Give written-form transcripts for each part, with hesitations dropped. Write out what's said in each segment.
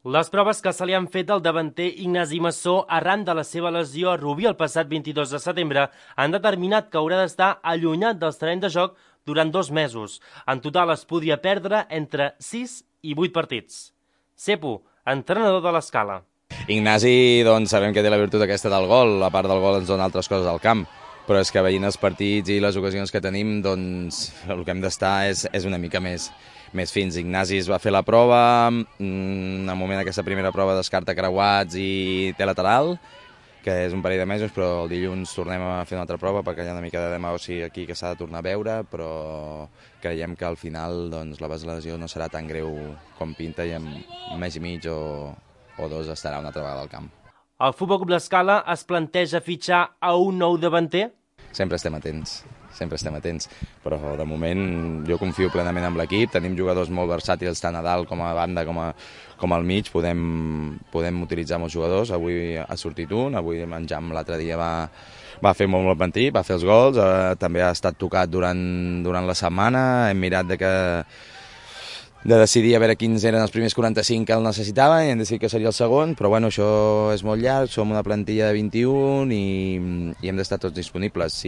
Les proves que se li han fet al davanter Ignasi Massó arran de la seva lesió a Rubí el passat 22 de setembre han determinat que haurà d'estar allunyat dels terrenys de joc durant 2 mesos. En total es podria perdre entre 6 i 8 partits. Cepo, entrenador de l'Escala. Ignasi, doncs, sabem que té la virtut aquesta del gol, a part del gol ens dona altres coses al camp, però és que veient els partits i les ocasions que tenim, doncs el que hem d'estar és una mica més fins. Ignasi es va fer la prova, en el moment d'aquesta primera prova descarta creuats i té lateral, que és un parell de mesos, però el dilluns tornem a fer una altra prova perquè hi ha una mica de demagògia aquí que s'ha de tornar a veure, però creiem que al final doncs, la lesió no serà tan greu com pinta i en un mes i mig o 2 estarà una altra vegada al camp. El Futbol Club l'Escala es planteja fitxar a un nou davanter? Sempre estem atents, però de moment jo confio plenament en l'equip, tenim jugadors molt versàtils tant a dalt com a banda com al mig, podem utilitzar molts jugadors, avui ha sortit un, avui en Jam l'altre dia va fer molt partit, va fer els gols, també ha estat tocat durant la setmana, hem mirat de decidir a veure quins eren els primers 45 que el necessitava i hem decidit que seria el segon, però bueno, això és molt llarg, som una plantilla de 21 i hem d'estar tots disponibles.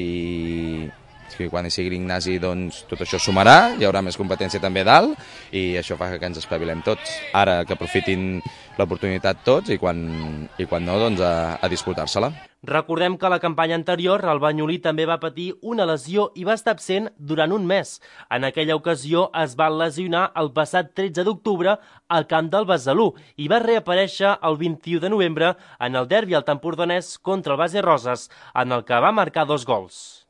Quan hi sigui l'Ignasi, doncs tot això sumarà, hi haurà més competència també a dalt i això fa que ens espavilem tots. Ara que aprofitin l'oportunitat tots i quan no, doncs a disputar-se-la. Recordem que a la campanya anterior el banyolí també va patir una lesió i va estar absent durant un mes. En aquella ocasió es va lesionar el passat 13 d'octubre al camp del Besalú i va reaparèixer el 21 de novembre en el derbi al Empordanès contra el Base Roses, en el que va marcar 2 gols.